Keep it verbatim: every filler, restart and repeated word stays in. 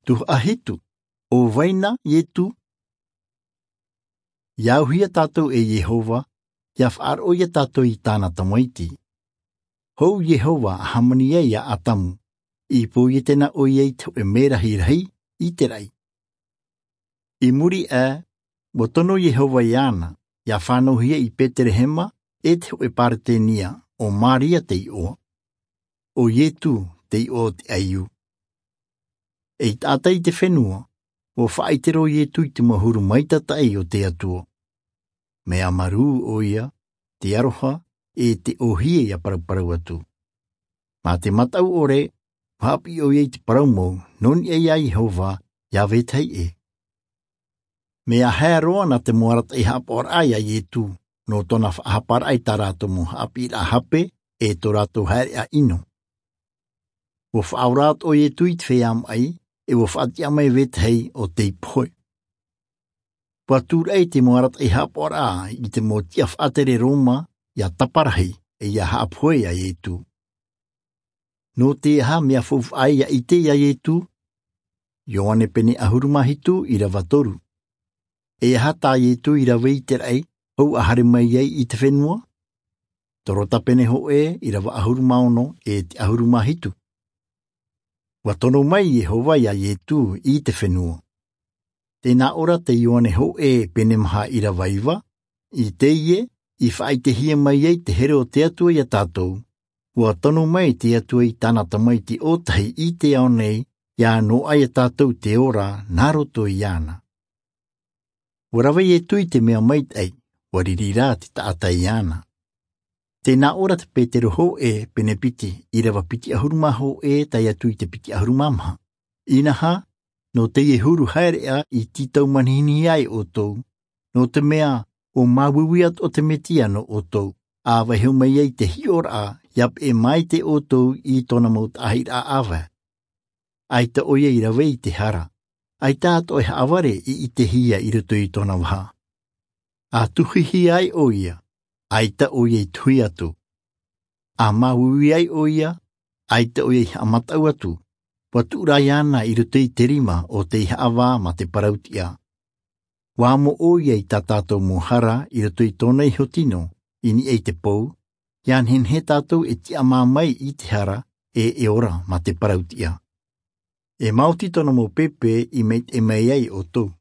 Tuhaʻa hitu. ʻO vai na iesu? Ia auhia tātou e iehova, ia faʻaroʻo ia tātou i tāna tamaiti. Hou iehova a hāmani ai iā ʻatamu, i pōiete na ʻoia i te hoʻe mē rahirahi i te raʻi. I muri aʻe, ua tono iehova iāna, ia fānauhia i betelehema e te hoʻe paretenia, ʻo māria te iʻoa, ʻo iesu te iʻoa o te ʻaiū. E i taʻata i te fenua, ua faʻaʻite roa iesu i te mau huru maitataʻi o te atua. Mea marū ʻoia, te aroha, e te ʻōhie ia paraparau atu. Mā te mataʻu ʻore, ua haʻapiʻi ʻoia i te parau mau nō niʻa iā iehova, iā vetahi ʻē. Mea haere roa na te mau arataʻi haʻapaʻoraʻa iā iesu, nō tōna faʻahaparaʻa i tā rātou mau haʻapiʻiraʻa hape, e tō rātou haereʻa ʻino. Ua faʻaora atoʻa iesu i te feiā maʻi, e ua faʻatiʻa mai vetahi ʻo tei pohe. Ua tūraʻi te mau arataʻi haʻapaʻoraʻa i te mau tiʻa faʻatere roma, ia taparahi, e ia haʻapohe iā iesu. Nō te aha mea faufaʻa ia ʻite iā iesu? Ioane pene ʻahuru mā hitu ʻīrava toru. E aha tā iesu i rave i te raʻi, hou a haere mai ai i te fenua? Torota pene hōʻē ʻīrava ʻahuru mā ono e te ʻahuru mā hitu. Ua tono mai iehova iā iesu i te fenua. Tē nā ʻō ra te ioane hōʻē pene maha ʻīrava iva, i teie, i faʻaʻitehia mai ai te here o te atua iā tātou, ua tono mai te atua i tāna tamaiti ʻōtahi i te ao nei, ia noaʻa iā tātou te ora nā roto iāna. Ua rave iesu i te mea maitaʻi, ua riri rā te taʻata iāna. Tē nā ʻō ra te petero hōʻē pene piti ʻīrava piti ʻahuru mā hōʻē tae atu i te piti ʻahuru mā maha. Inaha, nō teie huru haereʻa i tītau manihini ai ʻoutou, nō te mea, ʻo māuiui atoʻa te mesia nō ʻoutou, a vaiho mai ai te hiʻoraʻa, ia peʻe maite ʻoutou i tōna mau taʻahiraʻa ʻāvae. ʻAita ʻoia i rave i te hara, ʻaita atoʻa e haʻavare i ʻitehia i roto i tōna vaha. A tuhihi ai ʻoia, ʻaita ʻoia i tuhi atu. A māuiui ai ʻoia, ʻaita ʻoia i haʻamataʻu atu, ua tuʻu rā iāna i roto i te rima o tei haʻavā mā te parau-tiʻa. Ua amo ʻoia i tā tātou mau hara i roto i tōna iho tino, i niʻa i te pou, ia nehenehe tātou e tiʻamā mai i te hara, e e ora mā te parau-tiʻa. E maoti tōna mau pēpē i maitaʻi mai ai ʻoutou.